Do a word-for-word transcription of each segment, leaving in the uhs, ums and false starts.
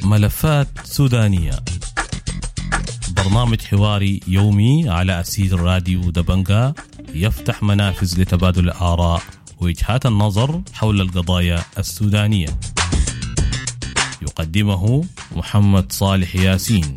ملفات سودانية، برنامج حواري يومي على أثير راديو دبنجا، يفتح منافذ لتبادل الآراء ووجهات النظر حول القضايا السودانية. يقدمه محمد صالح ياسين.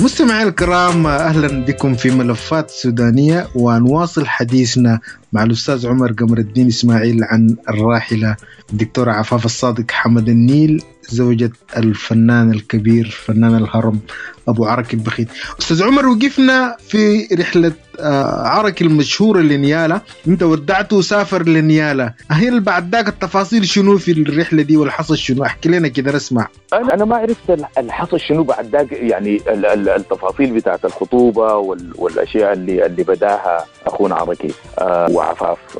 مستمعي الكرام، أهلا بكم في ملفات سودانية، ونواصل حديثنا مع الأستاذ عمر قمر الدين إسماعيل عن الراحلة الدكتورة عفاف الصادق حمد النيل، زوجة الفنان الكبير فنان الهرم أبو عركي البخيت. أستاذ عمر، وقفنا في رحلة عركي المشهورة لنيالا، أنت ودعته وسافر لنيالا، هل بعد ذاك التفاصيل شنو في الرحلة دي والحصل شنو؟ احكي لنا كده نسمع. أنا ما عرفت الحصل شنو بعد ذاك، يعني التفاصيل بتاعت الخطوبة والأشياء اللي اللي بداها أخونا عركي وعفاف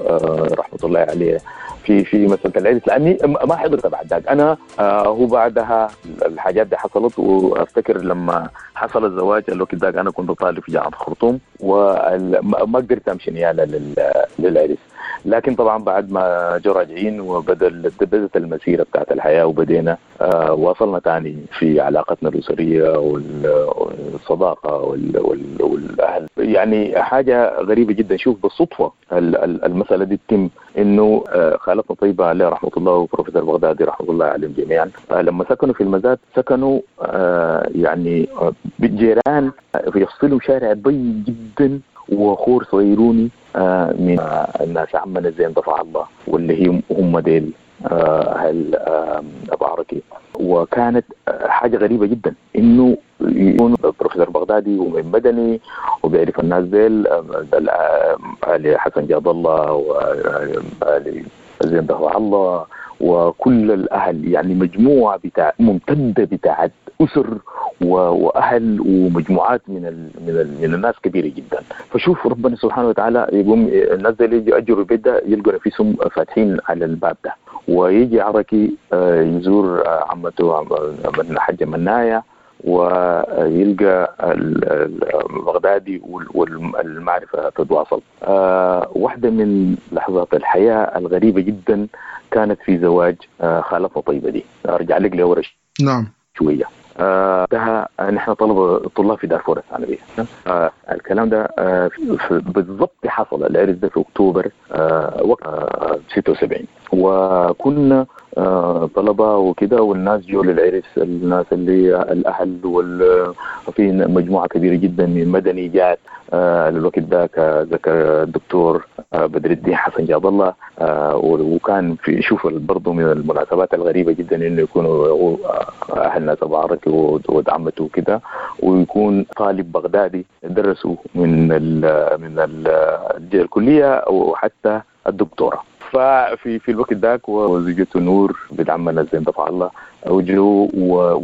رحمة الله عليه في في مسألة العرس، لأني ما حضرت بعد ذاك. أنا هو بعدها الحاجات دي حصلت، وأفتكر لما حصل الزواج الوقت ذاك أنا كنت طالب في جامعة الخرطوم وما قدرت أمشي نيالا للعرس. لكن طبعا بعد ما جو راجعين وبدل بدت المسيرة بتاعت الحياة وبدينا آه واصلنا تاني في علاقتنا الأسرية والصداقة والأهل. يعني حاجة غريبة جدا، شوف بالصدفة المسألة دي تتم، إنه آه خالتنا طيبة عليه رحمة الله وبروفيسور بغدادي رحمة الله عليهم جميعا، آه لما سكنوا في المزاد سكنوا آه يعني آه بالجيران، يفصلوا شارع ضيق جدا وخور صغيروني آه من آه الناس عمنا زين دفع الله واللي هي هم ديل اهل آه ابو عركي. وكانت حاجة غريبة جدا انه يكون بروفيسور بغدادي ومن مدني وبيعرف الناس ديل، اهل حسن جاد الله واهل زين دفع الله وكل الاهل، يعني مجموعة بتاع ممتدة بتاعت اسر واهل ومجموعات من ال من ال من الناس كبيرة جدا. فشوف ربنا سبحانه وتعالى يقوم الناس دي يجوا يأجروا البيت ده يلقوا نفسهم فاتحين على الباب ده، ويجي عركي يزور عمته الحاجة منايا ويلقى البغدادي والمعرفة تتواصل. واحدة من لحظات الحياة الغريبة جدا كانت في زواج خالتنا طيبة دي. أرجع لك لورا نعم شوية. ده نحن طلبة طلاب في دارفور الثانوية. آه الكلام ده آه بالضبط حصل العرس ده في أكتوبر آه وقت آه ستة وسبعين، وكنا آه طلبة وكده، والناس جو للعرس، الناس اللي الأهل وفي مجموعة كبيرة جدا من مدني جات آه للوقت ذاك، ذكر الدكتور آه بدر الدين حسن جاد الله، آه وكان في شوف برضه من المناسبات الغريبة جدا إنه يكونوا أهل ناس أبو عركي ودعمته وكده، ويكون طالب بغدادي درسوا من ال من ال الكلية وحتى الدكتورة. ففي في الوقت ذاك وزوجته نور بنت عمنا زين دفع الله وجو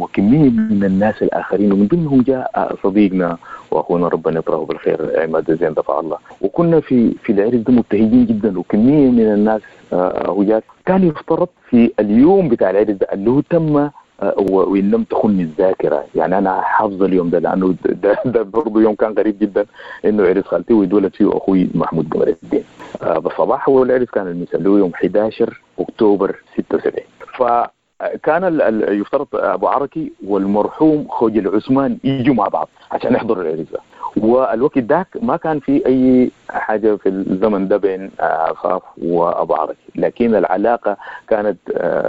وكمية من الناس الاخرين، ومن ضمنهم جاء صديقنا واخونا ربنا يطرحه بالخير عماد زين دفع الله. وكنا في في العرس ده مبتهجين جدا، وكمية من الناس هجات. كان يفترض في اليوم بتاع العرس ده اللي هو تم وإن لم تخني الذاكرة، يعني أنا حافظ اليوم ده لأنه ده, ده برضه يوم كان غريب جدا، إنه عرس خالتي ويتولد فيه أخوي محمود قمر الدين آه بالصباح، والعرس كان المثال يوم أحد عشر أكتوبر ستة وسبعين. فكان يفترض أبو عركي والمرحوم خوجل عثمان يجوا مع بعض عشان يحضروا العرس ده، والوقت ذاك ما كان في أي حاجة في الزمن ده بين عفاف وأبو عركي، لكن العلاقة كانت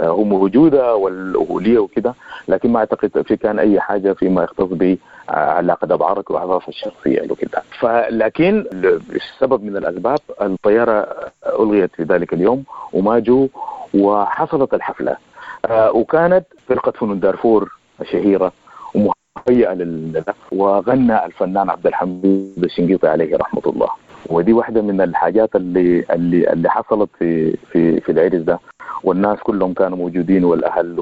هو موجودة والأهولية وكده، لكن ما أعتقد في كان أي حاجة فيما يختص بعلاقة أبو عركي وعفاف الشخصية وكده. فلكن السبب من الأسباب الطيارة ألغيت في ذلك اليوم وما جو، وحصلت الحفلة، وكانت فرقة فنون دارفور الشهيرة ومهيئة لل، وغنى الفنان عبد الحميد الشنقيطي عليه رحمة الله. ودي واحدة من الحاجات اللي اللي اللي حصلت في في في العرس ده، والناس كلهم كانوا موجودين والأهل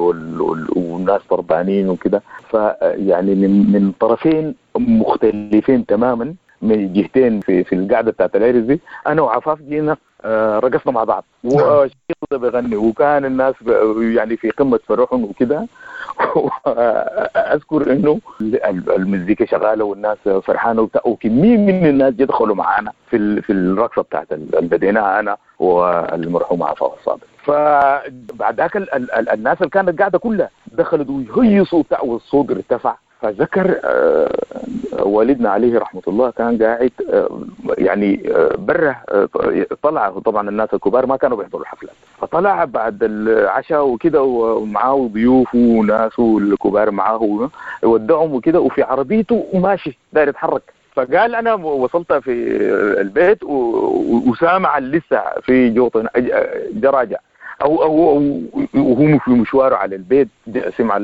والناس طربانين وكده. فيعني من من طرفين مختلفين تماما من جهتين في في القعدة بتاعت العرس دي، انا وعفاف جينا رقصنا مع بعض وشيخ ده بيغني، وكان الناس يعني في قمة فرحهم وكده. اذكر انه المزيكا شغالة والناس فرحانة وكمية من الناس يدخلوا معانا في في الرقصة بتاعت اللي بديناها انا والمرحوم عفاف الصادق. فبعد ذاك الناس اللي كانت قاعدة كلها دخلوا ويهيصوا والصوت ارتفع. فذكر والدنا عليه رحمة الله كان قاعد يعني بره، طلع طبعا الناس الكبار ما كانوا بيحضروا الحفلات، فطلع بعد العشاء وكده ومعاه ضيوفه وناسه الكبار معاه ودعهم وكده، وفي عربيته وماشي داير يتحرك. فقال انا وصلت في البيت وسامع لسه في جوط جراجع او او وهو في مشواره على البيت، سمع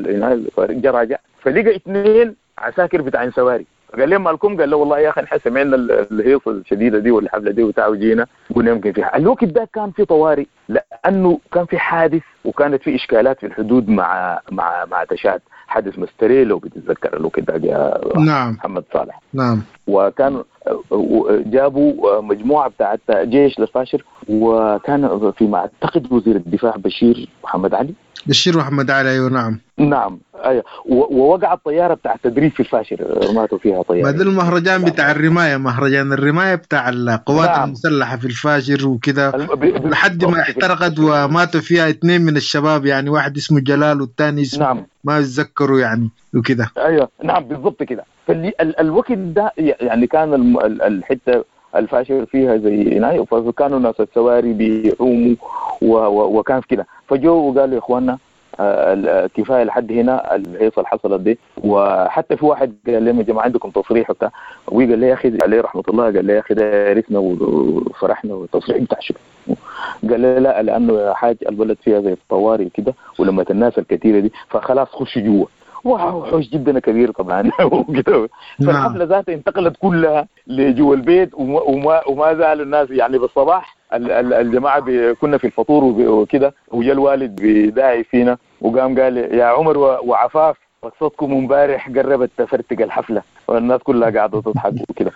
جراجع، فلقى اثنين عساكر بتاعين سواري. قال لهم مالكم؟ قال له والله يا اخي نحن سمعنا الهيصه الشديدة دي والحفله دي وبتاع وجينا قلنا يمكن فيها. الوقت ده كان في طوارئ لانه كان في حادث وكانت في اشكالات في الحدود مع مع مع تشاد، حادث مستري لو بتتذكر الوقت ده يا نعم. محمد صالح. نعم. وكان جابوا مجموعة بتاعت جيش للفاشر، وكان فيما اعتقد وزير الدفاع بشير محمد علي. بشير محمد علي ايوه نعم. نعم ايوه. ووقعت طيارة بتاع تدريب في الفاشر، ماتوا فيها طيارة. ما ده المهرجان بتاع الرماية، مهرجان الرماية بتاع القوات نعم. المسلحة في الفاشر وكده، لحد ما احترقت وماتوا فيها اثنين من الشباب، يعني واحد اسمه جلال والثاني اسمه نعم. ما اتذكروا يعني وكده. ايوه نعم بالضبط كده. فالوقت ده يعني كان الحتة الفاشر فيها زي هنا، فكانوا ناس السواري بيعوموا وكان في كده. فجو وقالوا يا اخواننا كفاية لحد هنا الهيصه اللي حصلت دي. وحتى في واحد قال لهم يا جماعة عندكم تصريح وبتاع، وقال لي يا اخي عليه رحمه الله، قال لي يا اخي ده عرفنا وفرحنا والتصريح بتاع شنو؟ قال لي لا، لانه يا حاج البلد فيها زي الطوارئ كده ولما الناس الكثيرة دي فخلاص خش جوا. واو حوش جدا كبير طبعا وكده. فالحفله ذاتها انتقلت كلها لجوا البيت، وما وما زال الناس يعني بالصباح الجماعة كنا في الفطور وكده، وجا الوالد بداعي فينا وقام قال يا عمر وعفاف رقصتكم امبارح قربت تفرتق الحفلة، والناس كلها قاعدة تضحك وكده.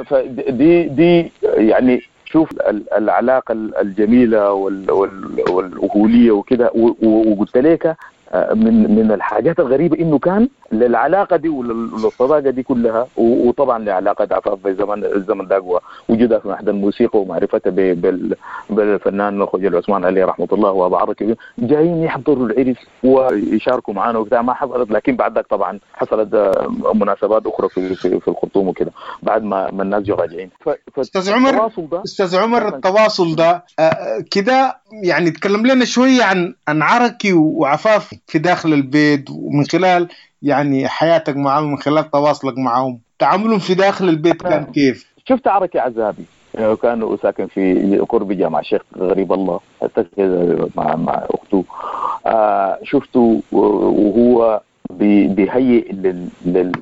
فدي دي يعني شوف العلاقة الجميلة والاهوليه وكده. وقلت لك من من الحاجات الغريبة انه كان للعلاقة دي وللصداقه دي كلها، وطبعا لعلاقة عفاف في زمن الزمن ده وجودها في معهد الموسيقى ومعرفتها بالفنان خوجلي عثمان عليه رحمه الله وابو عركي، جايين يحضروا العرس ويشاركوا معنا وبتاع. ما حصلت، لكن بعد ذاك طبعا حصلت مناسبات اخرى في في, في الخرطوم وكده بعد ما ما الناس جو راجعين. استاذ عمر، استاذ عمر التواصل ده كده يعني تكلم لنا شوية عن عن عركي وعفاف في داخل البيت، ومن خلال يعني حياتك معهم، من خلال تواصلك معهم، تعاملهم في داخل البيت كان كيف؟ شفت عركي عزابي كانوا ساكن في قرب جامع الشيخ غريب الله مع مع اخته. آه شفته وهو بيهيئ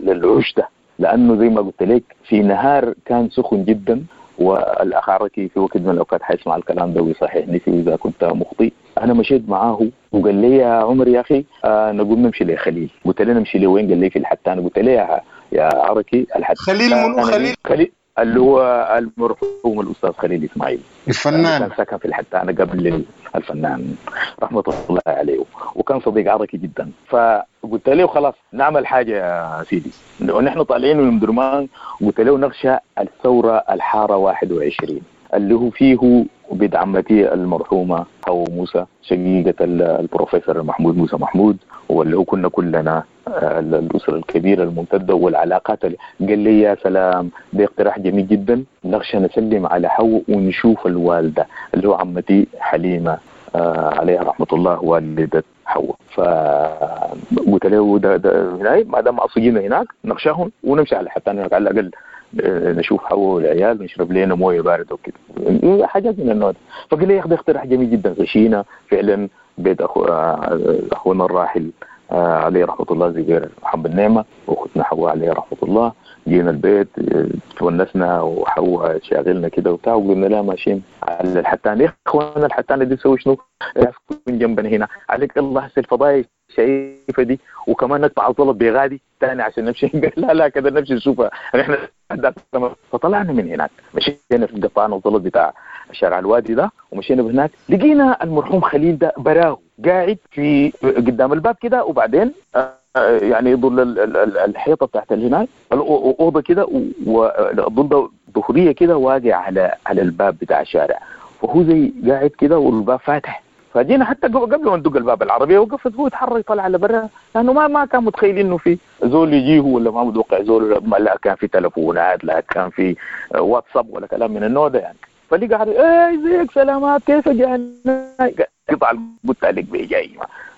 للعش ده، لانه زي ما قلت لك في نهار كان سخن جدا، والاخ عركي في وقت من الاوقات حيسمع الكلام ده ويصححني فيه اذا كنت مخطئ. انا مشيت معاه وقال لي يا عمر يا اخي آه نقوم نمشي لخليل. قلت له نمشي لوين؟ قال لي في الحتان. قلت له يا يا عركي الحتان خليل من خليل خليل اللي هو المرحوم الاستاذ خليل اسماعيل الفنان، كان ساكن في الحتانه قبل الفنان رحمه الله عليه، وكان صديق عركي جدا. فقلت له خلاص نعمل حاجة يا سيدي، ونحن طالعين من درمان قلت له نغشى الثورة الحارة واحد وعشرين اللي هو فيه بيت عمتي المرحومة حو موسى شقيقه البروفيسور محمود موسى محمود، واللي هو كنا كلنا الأسرة الكبيرة الممتدة والعلاقات. قال لي يا سلام ده اقتراح جميل جدا، نغشى نسلم على حو ونشوف الوالدة اللي هو عمتي حليمة آه عليها رحمة الله والدة حواء. فقلت له ده ده ما دام أصجينا هناك نغشاهم ونمشي على حتى هناك على الأقل نشوف حواء والعيال ونشرب لنا مويه باردة وكده حاجات من النوع ده. فقال لي يا اخي اقتراح جميل جدا. غشينا فعلا بيت أخو اخونا الراحل عليه رحمه الله زبير محمد نعمه واختنا حواء عليه رحمه الله. جينا البيت تونسنا وحواء شاغلنا كده وبتاع، وقلنا لها ماشيين على الحتان. يا اخوانا الحتانه دي تسوي شنو؟ يكون جنبنا هنا عليك الله هسه الفضايح شايفه دي، وكمان نقطع الزلط بغادي ثاني عشان نمشي. لا لا كده نمشي نشوفها نحن. فطلعنا من هناك، مشينا في قطعنا الزلط بتاع شارع الوادي ده، ومشينا هناك لقينا المرحوم خليل ده براه قاعد في قدام الباب كده، وبعدين يعني ظل الحيطة بتاعت هناك الاوضة كده، والظل ظهريه كده واقع على على الباب بتاع الشارع، فهو زي قاعد كده والباب فاتح. فجينا حتى قبل ما ندق الباب العربية وقفت، هو يتحرك طلع على برا، لانه ما ما كان متخيل انه في زول يجيه ولا ما متوقع زول، لا كان في تلفونات لا كان في واتساب ولا كلام من النوع ده يعني. فلقى قاعد ايه ازيك سلامات كيف جانا قطع قلت لك بيجاي،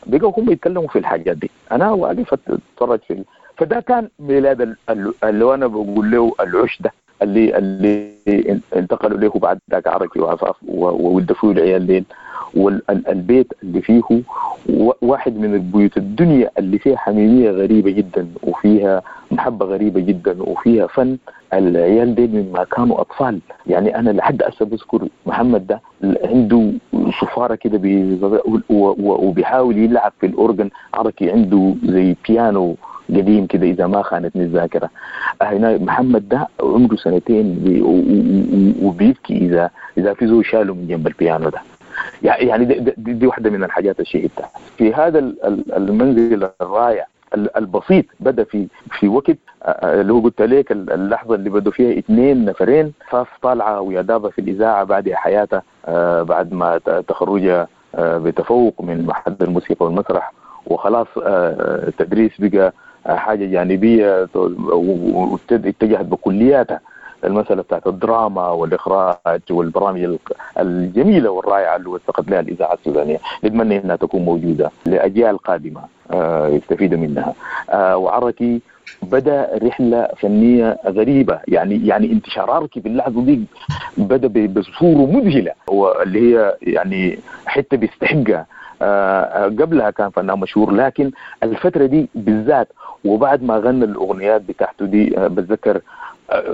بقوا هم يتكلموا في الحاجات دي، انا واقف اتفرج في. فده كان ميلاد اللي انا بقول له العش ده اللي اللي انتقلوا له بعد ذاك عركي وعفاف وولدوا فيه العيال ديل، والبيت اللي فيه واحد من البيوت الدنيا اللي فيها حميمية غريبة جدا، وفيها محبة غريبة جدا، وفيها فن. العيال ديل مما كانوا أطفال يعني، أنا لحد هسه بذكر محمد ده عنده صفارة كده وبيحاول يلعب في الأورجن، عركي عنده زي بيانو قديم كده إذا ما خانتني الذاكرة. هنا محمد ده عمره سنتين وبيبكي إذا إذا في زول شاله من جنب البيانو ده. يعني دي, دي, دي واحدة من الحاجات الشهيدة في هذا المنزل الرائع البسيط. بدأ في في وقت اللي هو قلت لك اللحظة اللي بدوا فيها اثنين نفرين، فاف طالعة ويا في الإذاعة بعد حياتها، بعد ما تخرجها بتفوق من معهد الموسيقى والمسرح، وخلاص التدريس بقى حاجة جانبية، واتجهت بكلياتها المسألة بتاعت الدراما والإخراج والبرامج الجميلة والرائعة اللي وثقت لها الإذاعة السودانية. نتمنى أنها تكون موجودة لأجيال قادمة يستفيدوا منها. وعركي بدأ رحلة فنية غريبة، يعني يعني انتشار عركي في اللحظة دي بدأ بصورة مذهلة، واللي هي يعني حتى بيستحقها. قبلها كان فنان مشهور، لكن الفترة دي بالذات وبعد ما غنى الأغنيات بتاعته دي، بتذكر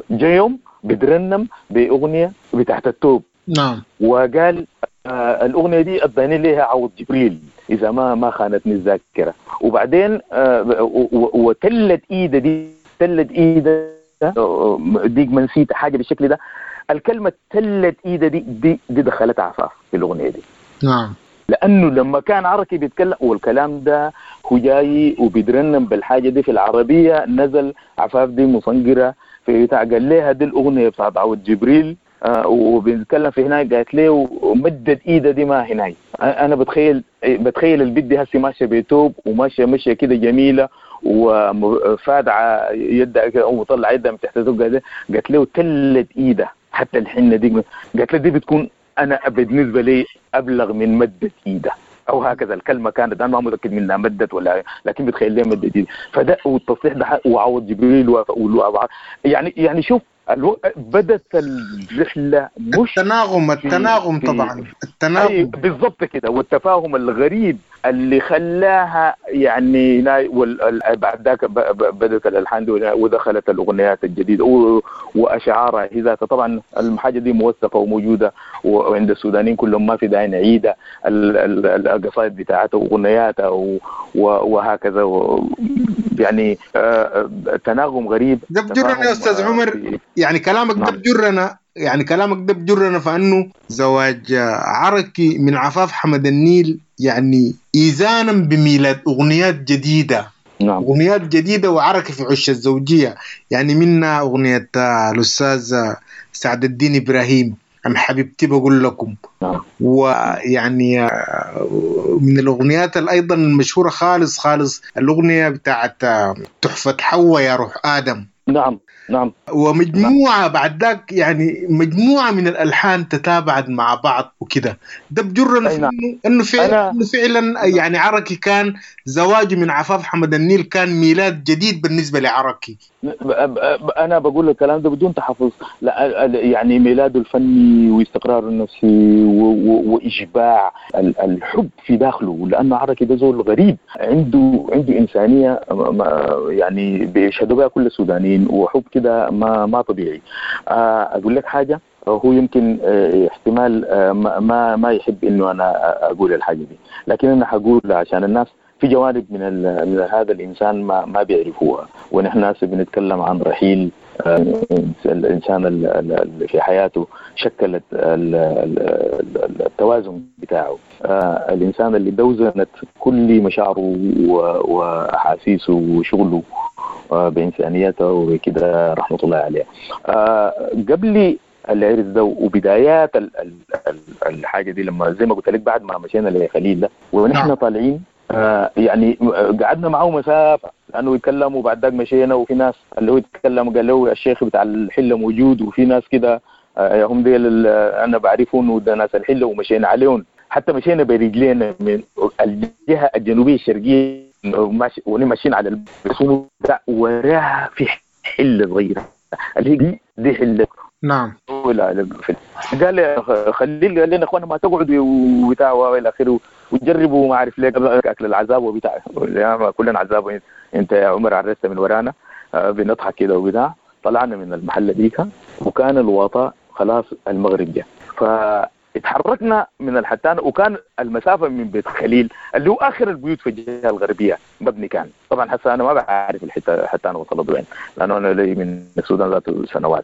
جايوم بترنم بأغنية بتاعت التوب. نعم. وقال آه الأغنية دي أداني لها عوض جبريل إذا ما ما خانتني الذاكرة. وبعدين آه وتلت إيده دي، تلت إيده ديك ما نسيت حاجة بالشكل ده، الكلمة تلت إيده دي دي, دي دخلت عفاف في الأغنية دي. نعم. لأنه لما كان عركي بيتكلم والكلام ده هو جاي وبيترنم بالحاجة دي في العربية، نزل عفاف دي مصنقرة في بتاع، قال لها دي الأغنية بتاعت عوض جبريل آه وبنتكلم في هناك، قالت له ومدت ايده دي ما هناك. انا بتخيل بتخيل البيت دي هسي ماشية بيتوب وماشية ماشية كده جميلة وفادعه يدها كده ومطلع يدها من تحت الزوجة، قالت له تلت ايده حتى الحنة دي، قالت له دي بتكون انا بالنسبة لي ابلغ من مدت ايده او هكذا الكلمة كانت، انا ما متاكد منها مدت ولا، لكن بتخيل ليه مدت ايده. فده والتصريح ده وعوض جبريل وافق، يعني يعني شوف الو... بدت الرحلة مش التناغم التناغم طبعا التناغم بالضبط كده، والتفاهم الغريب اللي خلاها يعني وال... بعد ذاك بدت الالحان ودخلت الاغنيات الجديدة و... واشعارها هي ذاتها. طبعا الحاجة دي موثقة وموجودة وعند السودانيين كلهم، ما في داعي نعيدها، القصائد بتاعتها واغنياتها و... وهكذا و... يعني تناغم غريب. ده بجرنا يا استاذ عمر، يعني كلامك ده بجرنا، يعني كلامك ده بجرنا فانه زواج عركي من عفاف حمد النيل يعني إيزانا بميلاد أغنيات جديدة. نعم. أغنيات جديدة وعركي في عش الزوجية، يعني منها أغنية الأستاذ سعد الدين إبراهيم عن حبيبتي بقول لكم. نعم. ويعني من الأغنيات أيضا المشهورة خالص خالص الأغنية بتاعت تحفة حواء يا روح آدم. نعم نعم. ومجموعة بعد ذاك يعني مجموعة من الألحان تتابعت مع بعض وكده. ده بجرنا في نعم. إنه فعلا, إنه فعلا يعني عركي كان زواجه من عفاف حمد النيل كان ميلاد جديد بالنسبة لعركي. أنا بقول الكلام ده بدون تحفظ، لا يعني ميلاده الفني واستقراره النفسي وإشباع الحب في داخله، لأنه عركي ده زول غريب، عنده عنده إنسانية يعني بيشهدوا بها كل السودانيين، وحب كده ما ما طبيعي. أقول لك حاجة، هو يمكن احتمال ما ما يحب إنه أنا أقول الحاجة دي، لكن أنا حقول عشان الناس في جوانب من, من هذا الإنسان ما ما بيعرفوها. ونحن ناس بنتكلم عن رحيل الإنسان اللي في حياته شكلت التوازن بتاعه، الإنسان اللي دوزنت كل مشاعره وأحاسيسه وشغله بإنسانيته وكده، رحمة الله عليه. قبل العرس ده وبدايات الحاجة دي، لما زي ما قلت لك بعد ما مشينا لخليل ده ونحن طالعين، يعني قعدنا معه مسافة لأنه يتكلم، وبعد ذاك مشينا وفي ناس اللي هو يتكلم قال له الشيخ بتاع الحلة موجود، وفي ناس كده هم ديل أنا بعرفهم وده ناس الحلة، ومشينا عليهم حتى مشينا برجلينا من الجهة الجنوبية الشرقية ونمشينا على البسوم ده وراها في حلة صغيرة اللي هي دي, دي حلة. نعم. قال خليل قال لنا اخوانا ما تقعدوا وبتاع والى اخره وتجربوا ما اعرف ليه اكل العذاب وبتاع، كلنا عذاب انت يا عمر عرست من ورانا، بنضحك كده وبتاع. طلعنا من المحل ديك وكان الوطاء خلاص المغرب جاء، فاتحركنا من الحتان، وكان المسافة من بيت خليل اللي هو اخر البيوت في الجهة الغربية مبني كان. طبعا حتى انا ما بعرف الحتة حتى انا وصلت وين لانه انا لي من السودان ذاته سنوات.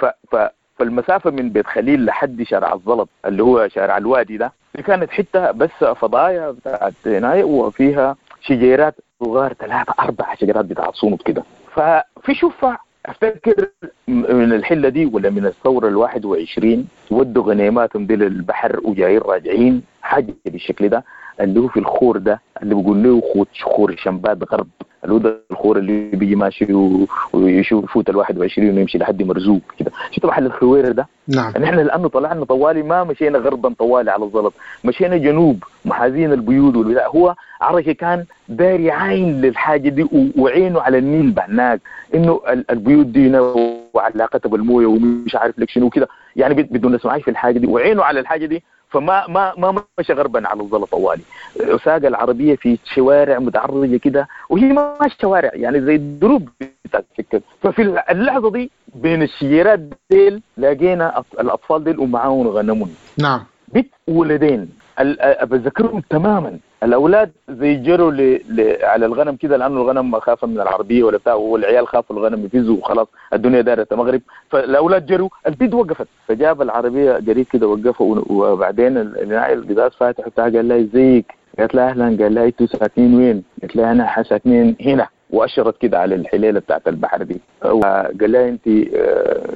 ف ف فالمسافه من بيت خليل لحد شارع الزلط اللي هو شارع الوادي ده، دي كانت حتة بس فضايا بتاعت هناي وفيها شجيرات صغار ثلاثة اربع شجرات بتاعت صوت كده. ففي شفع افتكر من الحلة دي ولا من الثورة الواحد وعشرين ودوا غنيماتهم دي للبحر وجايين راجعين حاجة بالشكل ده اللي هو في الخور ده اللي بيقول له خور شمبات غرب، اللي هو ده الخور اللي بيجي ماشي ويشوف يفوت الواحد وعشرين ويمشي لحد مرزوق كده. شفت محل الخويره ده؟ نعم. نحن لانه طلعنا طوالي ما مشينا غربا طوالي على الزلط، مشينا جنوب محاذين البيوت والبتاع. هو عركي كان داري عين للحاجة دي وعينه على النيل بهناك، انه البيوت دي وعلاقتها بالمويه ومش عارف لك شنو كده، يعني بدون نسمعش في الحاجة دي وعينه على الحاجة دي. فما ما ما مشى غربا على الزلط طوالي، ساق العربية في شوارع متعرجه كده، وهي ما شوارع يعني زي الدروب بتاعت السكة. ففي اللحظة دي بين الشجيرات ديل لاقينا الاطفال ديل ومعاهم غنمون. نعم. بيت ولدين بذكرهم تماما، الاولاد زي جروا ل... ل... على الغنم كده لانه الغنم خافوا من العربية ولا بتاع، والعيال خافوا الغنم يفزوا وخلاص الدنيا دارت مغرب، فالاولاد جروا، البيت وقفت، فجاب العربية قريب كده وقفوا، وبعدين القزاز فاتح بتاع قال لها ازيك؟ قالت لها اهلا. قال لها انتوا ساكنين وين؟ قالت لها انا ساكنين هنا، واشرت كده على الحليله بتاعت البحر دي. وقال لها انت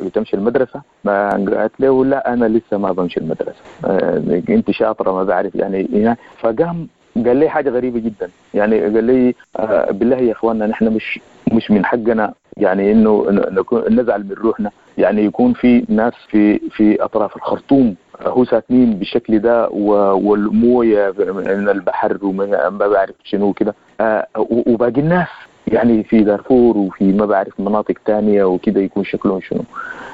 بتمشي المدرسة؟ ما قالت له لا انا لسه ما بمشي المدرسة، انت شاطرة ما بعرف يعني. فقام قال لي حاجة غريبة جدا، يعني قال لي بالله يا اخواننا نحن مش مش من حقنا يعني انه نزعل من روحنا، يعني يكون في ناس في في اطراف الخرطوم هو ساكنين بالشكل ده والمويه من البحر ومن ما بعرف شنو كده، وباقي الناس يعني في دارفور وفي ما بعرف مناطق تانية وكده يكون شكلهم شنو.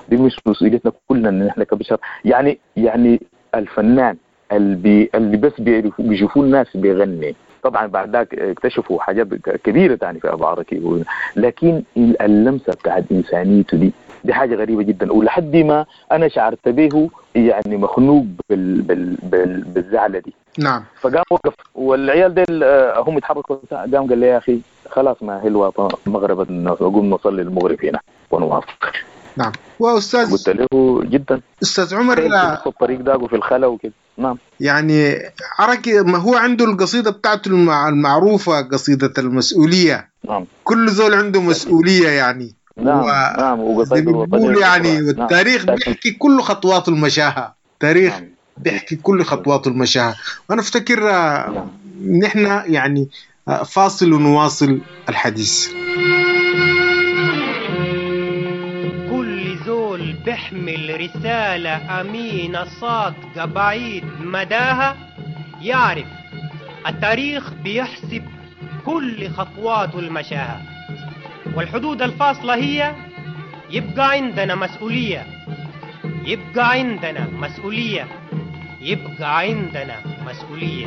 دي مش مسؤوليتنا كلنا ان احنا كبشر، يعني يعني الفنان اللي اللي بس بيعرفوا بيشوفوا الناس بيغني، طبعا بعد ذاك اكتشفوا حاجات كبيرة تاني في ابو عركي، لكن اللمسة بتاعت انسانيته دي دي حاجة غريبة جدا، ولحد ما انا شعرت به يعني مخنوق بال بال بال بالزعله دي. نعم. فقام وقف والعيال ديل هم يتحركوا، قام قال لي يا اخي خلاص ما هي الوطن مغرب نقوم نصلي المغرب هنا ونوافق. نعم. واستاذ قلت له جدا استاذ عمر في الطريق ده وفي الخلا وكده. نعم. يعني عركي ما هو عنده القصيدة بتاعته المعروفة قصيدة المسؤولية. نعم. كل زول عنده مسؤولية يعني. نعم. و... نعم. وقصيدة الوطنية يعني. والتاريخ نعم. بيحكي كل خطوات المشاهه، تاريخ نعم. بيحكي كل خطوات المشاهه. وانا افتكر نعم. نحن يعني فاصل ونواصل الحديث. بيحمل رسالة أمينة صادقة بعيد مداها، يعرف التاريخ بيحسب كل خطواته المشاها، والحدود الفاصلة هي يبقى عندنا مسؤولية، يبقى عندنا مسؤولية، يبقى عندنا مسؤولية.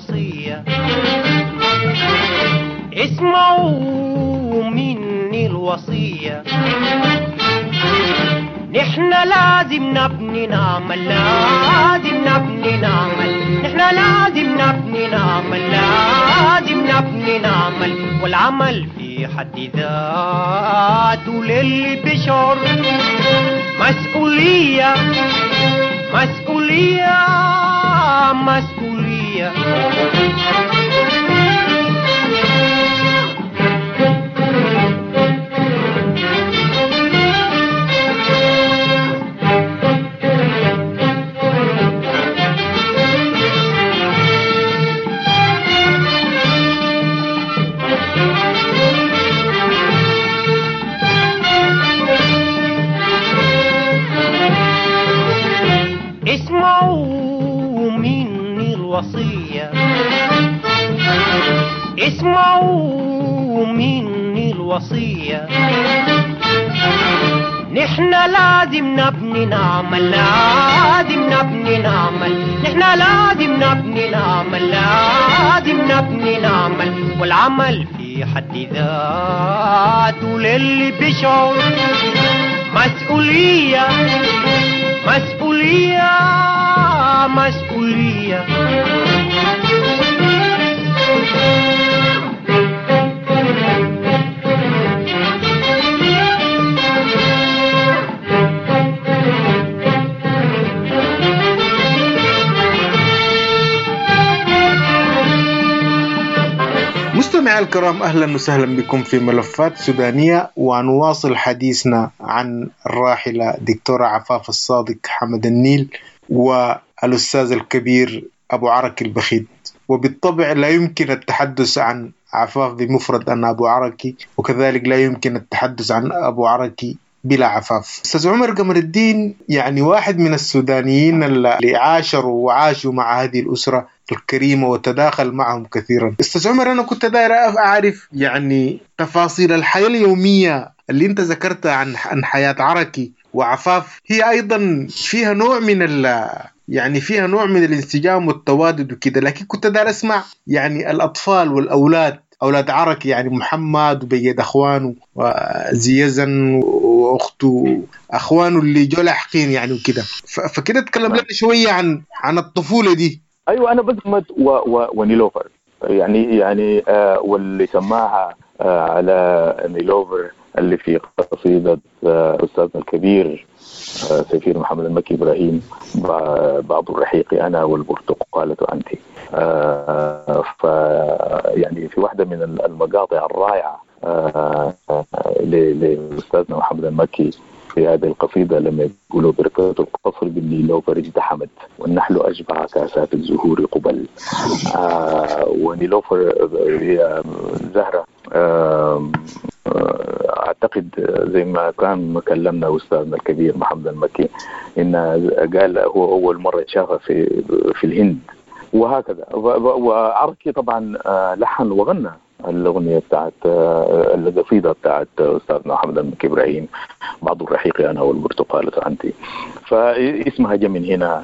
الوصية، اسمعوا مني الوصية، نحن لازم نبني نعمل، لازم نبني نعمل، نحن لازم نبني نعمل، لازم نبني نعمل، والعمل في حد ذاته للي بشعر مسؤولية، مسؤولية، مسؤولية. اسمعوا مني الوصية، اسمعوا مني الوصية، نحن لازم نبني نعمل، لازم نبني نعمل، نحن لازم نبني نعمل، لازم نبني نعمل، والعمل في حد ذاته للي بشعر مسؤولية، مسؤولية، مسؤولية. مستمعي الكرام، أهلا وسهلا بكم في ملفات سودانية، ونواصل حديثنا عن الراحلة دكتورة عفاف الصادق حمد النيل والأستاذ الكبير أبو عركي البخيت. وبالطبع لا يمكن التحدث عن عفاف بمفرد أن أبو عركي، وكذلك لا يمكن التحدث عن أبو عركي بلا عفاف. أستاذ عمر قمر الدين يعني واحد من السودانيين اللي عاشروا وعاشوا مع هذه الأسرة الكريمة وتداخل معهم كثيرا. أستاذ عمر، أنا كنت داير أعرف يعني تفاصيل الحياة اليومية اللي أنت ذكرتها عن عن حياة عركي وعفاف، هي أيضا فيها نوع من ال يعني فيها نوع من الانسجام والتوادد وكده، لكن كنت داير أسمع يعني الأطفال والأولاد، أولاد عركي يعني محمد وبيد أخوانه وزيزن وأخته، أخوانه اللي جو لاحقين يعني وكده، فكده تكلم لنا شوية عن عن الطفولة دي. أيوة، أنا بزمت و و ونيلوفر يعني يعني آه واللي سماها آه على نيلوفر اللي في قصيدة آه أستاذنا الكبير آه سفير محمد المكي إبراهيم، بعض الرحيق أنا والبرتقالة أنت. آه ف يعني في واحدة من المقاطع الرائعة آه لأستاذنا محمد المكي في هذه القصيدة لما يقولوا بركة القصر بالنيلوفر اجتحمت والنحل أشبع كاسات الزهور قبل. آه ونيلوفر هي زهرة، آه أعتقد زي ما كان كلمنا أستاذنا الكبير محمد المكي إن قال هو أول مرة شافها في في الهند وهكذا. وعركي طبعا لحن وغنى الأغنية بتاعت القصيدة بتاعت أستاذنا محمد المكي إبراهيم، بعض الرحيق أنا والبرتقالة أنت، فاسمها جاء من هنا.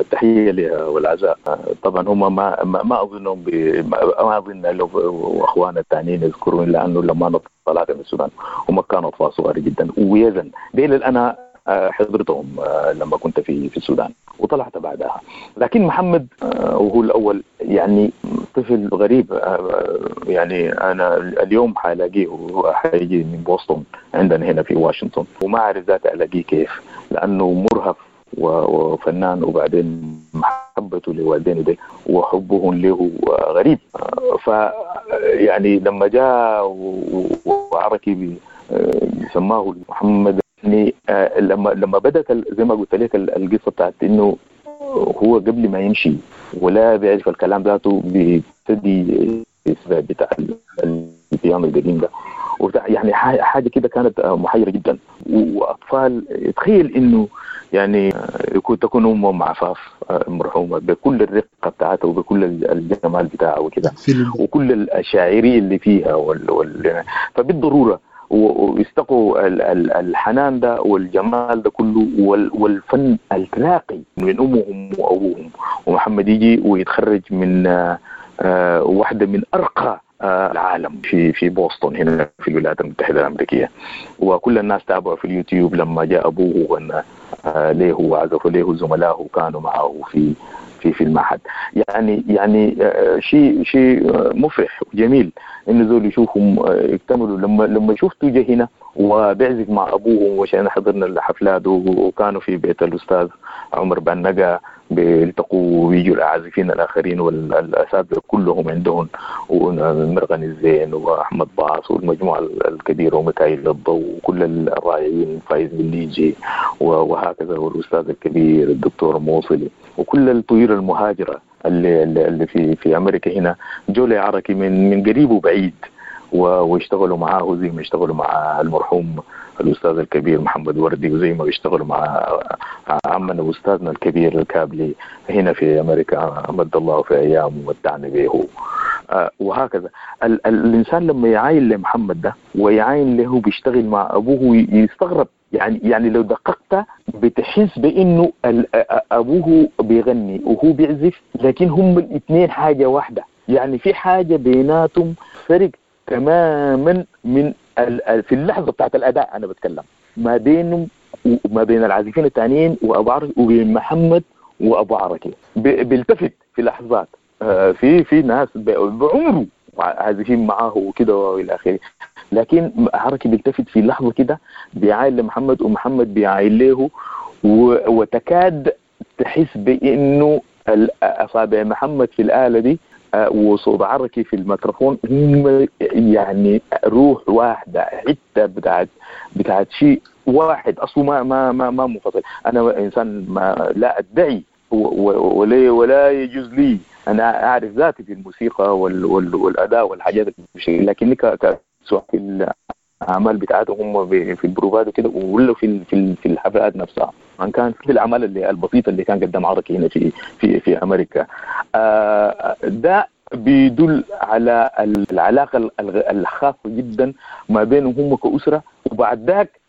التحية لها والعزاء. طبعا هم ما ما أظنهم ما أظن لو وأخواننا الثانيين يذكرون، لأنه لما أنا طلعت من السودان هم كانوا أطفال صغار جدا، ويزن ديل أنا حضرتهم لما كنت في في السودان وطلعت بعدها. لكن محمد وهو الأول يعني طفل غريب، يعني أنا اليوم حلاقيه وهو حيجي من بوسطن عندنا هنا في واشنطن، وما أعرف ذاته ألاقيه كيف، لأنه مرهف وفنان، وبعدين محبته لوالدينه دي وحبهم له غريب. ف يعني لما جاء وعركي سماه محمد، يعني لما لما بدأت زي ما قلت لك القصة بتاعت انه هو قبل ما يمشي ولا بيعرف الكلام ذاته بيبتدي بتاع البيانو القديم ده وبتاع، يعني حاجة كده كانت محيره جدا. واطفال تخيل انه يعني يكون تكون امهم عفاف المرحومة بكل الرقة بتاعتها وبكل الجمال بتاعها وكده وكل الشاعريه اللي فيها وال... وال... فبالضروره ويستقوا الحنان ده والجمال ده كله والفن الراقي من أمهم وأبوهم. ومحمد يجي ويتخرج من واحدة من أرقى العالم في في بوسطن هنا في الولايات المتحدة الأمريكية، وكل الناس تابعوا في اليوتيوب لما جاء أبوه وغنى له وعزفوا له زملائه كانوا معه في في في المعهد. يعني يعني شيء شيء مفرح وجميل إنه زول يشوفهم يكتملوا. لما لما شفته جه هنا وبيعزف مع أبوه، وشان حضرنا الحفلات وكانوا في بيت الأستاذ عمر بنجا بيلتقوا ويجوا العازفين الآخرين والأساتذة كلهم عندهم، ومرغني الزين وأحمد باص والمجموعة الكبيرة وميكائيل الضوء وكل الرائعين فايز بالليجي وهكذا، والأستاذ الكبير الدكتور موصلي وكل الطيور المهاجرة اللي اللي في في أمريكا هنا جولي عركي من من قريب وبعيد، واشتغلوا معاه زي ما اشتغلوا مع المرحوم الأستاذ الكبير محمد وردي، وزي ما بيشتغلوا مع عمنا وأستاذنا الكبير الكابلي هنا في أمريكا مد الله في أيامه ومتعنا به وهكذا. ال ال الإنسان لما يعاين لمحمد ده ويعاين له بيشتغل مع أبوه يستغرب، يعني يعني لو دققت بتحس بأنه أبوه بيغني وهو بيعزف، لكن هم الاثنين حاجة واحدة، يعني في حاجة بيناتهم فرق تماما من في اللحظة بتاعت الأداء. أنا بتكلم ما بينهم وما بين العازفين التانيين وأبو عركي وبين محمد وأبو عركي، بيلتفت في لحظات في في ناس بعمره عازفين معاه وكده والى اخره، لكن عركي بيلتفت في لحظة كده بيعاين لمحمد ومحمد بيعاين له، وتكاد تحس بأنه أصابع محمد في الآلة دي وصوت عركي في الميكروفون هم يعني روح واحدة، حتة بتاعت بتاعت شيء واحد أصله ما ما ما ما منفصل. أنا إنسان ما لا أدعي ولا ولا يجوز لي أنا أعرف ذاتي في الموسيقى وال وال والأداء والحاجات، لكني سواء في الأعمال بتاعتهم هم في البروفات وكده ولا في في في الحفلات نفسها، عن كان في الأعمال اللي البسيطة اللي كان قدام عركي هنا في في في أمريكا. ده بيدل على العلاقة الخاصة جدا ما بينهم هم كأسرة. وبعد ذاك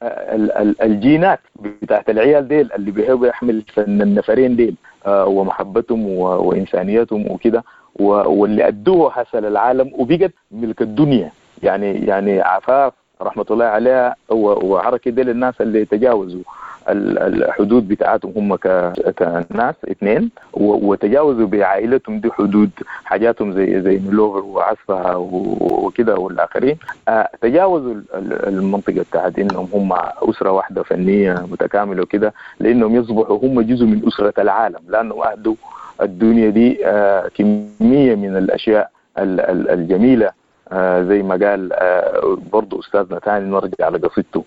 الجينات بتاعت العيال ديل اللي بيحبوا يحمل فن النفرين ديل ومحبتهم وإنسانيتهم وكده، واللي أدوه حسن العالم وبقت ملك الدنيا. يعني يعني عفاف رحمة الله عليها وعركي ديل الناس اللي تجاوزوا الحدود بتاعتهم هم كناس اثنين، وتجاوزوا بعائلتهم دي حدود حاجاتهم زي زي نلوفر وعزفها وكده والاخرين، تجاوزوا المنطقة بتاعت انهم هم اسره واحدة فنية متكاملة وكده، لانهم يصبحوا هم جزء من اسره العالم، لانهم اهدوا الدنيا دي كمية من الاشياء الجميلة. زي ما قال برضو أستاذنا تاني، نرجع لقصيدته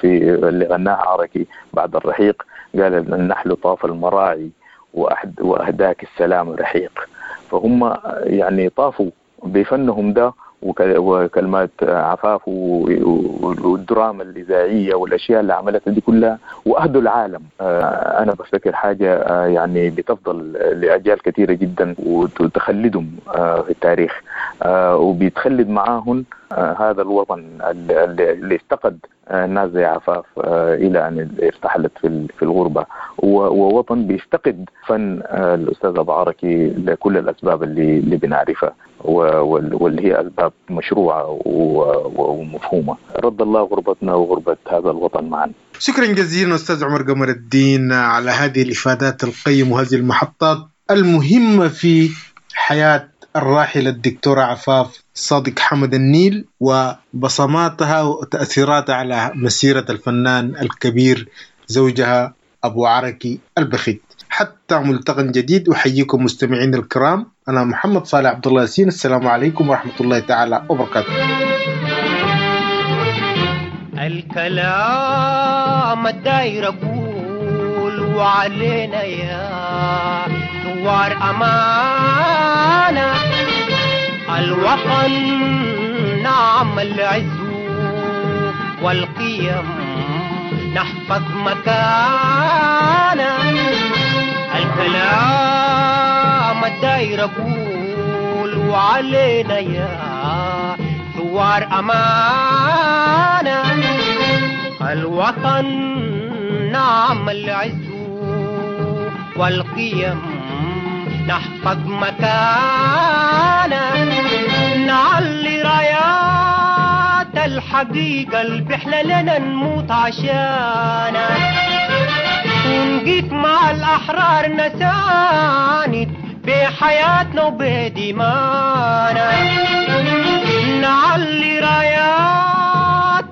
في اللي غناها عركي بعد الرحيق، قال النحل طاف المراعي وأهداك السلام رحيق. فهم يعني طافوا بفنهم ده وكلمات عفاف والدراما الإذاعية والأشياء اللي عملتها دي كلها وأهدوا العالم. أنا بفتكر حاجة يعني بتفضل لأجيال كثيرة جدا وتخلدهم في التاريخ، وبيتخلد معاهم هذا الوطن اللي افتقد الناس زي عفاف إلى أن ارتحلت في الغربة، ووطن بيفتقد فن الأستاذ أبو عركي لكل الأسباب اللي, اللي بنعرفها واللي هي أسباب مشروعة ومفهومة. رد الله غربتنا وغربة هذا الوطن معا. شكرا جزيلا أستاذ عمر قمر الدين على هذه الإفادات القيمة وهذه المحطات المهمة في حياة الراحلة الدكتورة عفاف صادق حمد النيل وبصماتها وتأثيراتها على مسيرة الفنان الكبير زوجها أبو عركي البخيت. حتى ملتقى جديد، أحييكم مستمعين الكرام، أنا محمد صالح عبد الله ياسين، السلام عليكم ورحمة الله تعالى وبركاته. الكلام الداير أقول وعلينا يا ثوار أمانة، الوطن نعم العز والقيم نحفظ مكانه. الكلام الداير أقول وعلينا يا ثوار أمانة، وطن نعمل عزو والقيم نحفظ مكانا، نعلي رايات الحقيقة البحلة لنا نموت عشانا، ونقيف مع الأحرار نساند بحياتنا وبدمانا، نعلي رايات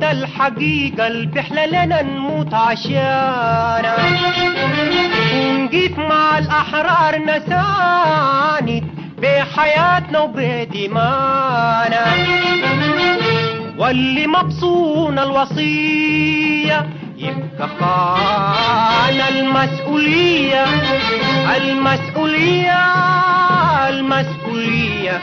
الحقيقة البحلة لنا نموت عشانا، ونقيف مع الأحرار نساند بحياتنا وبدمانا، واللي مبصون الوصية يبقى خان المسؤولية، المسؤولية، المسؤولية.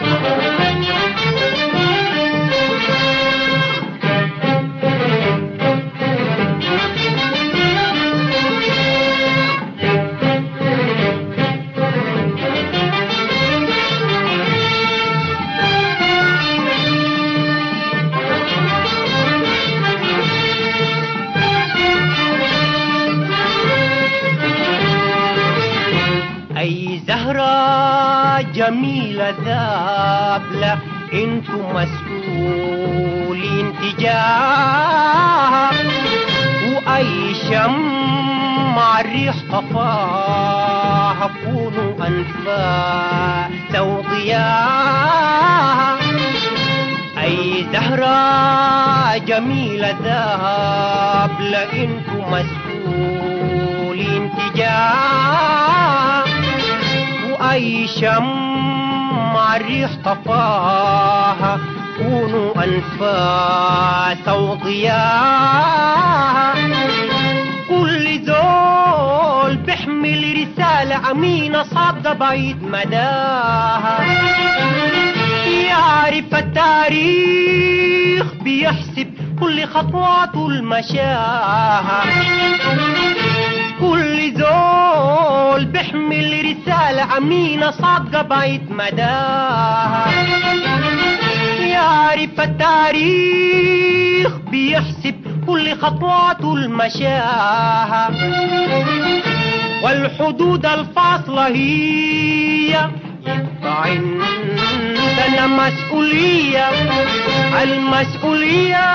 أي زهرة جميلة ذابلة انتم مسؤولين تجاهها، وأي شمع الريح طفاها كونوا أنفاس وضياها. أي زهرة جميلة ذابلة انتم مسؤولين تجاهها، وأي شمع الريح طفاها كونوا أنفاس وضياها. كل زول بيحمل رسالة أمينة صادقة بعيد مداها، يعرف التاريخ بيحسب كل خطواته المشاها. كل زول بيحمل رسالة أمينة صادقة بعيد مداها، يعرف التاريخ بيحسب كل خطواته المشاها. والحدود الفاصلة هي يبقى عندنا مسؤولية، المسؤولية،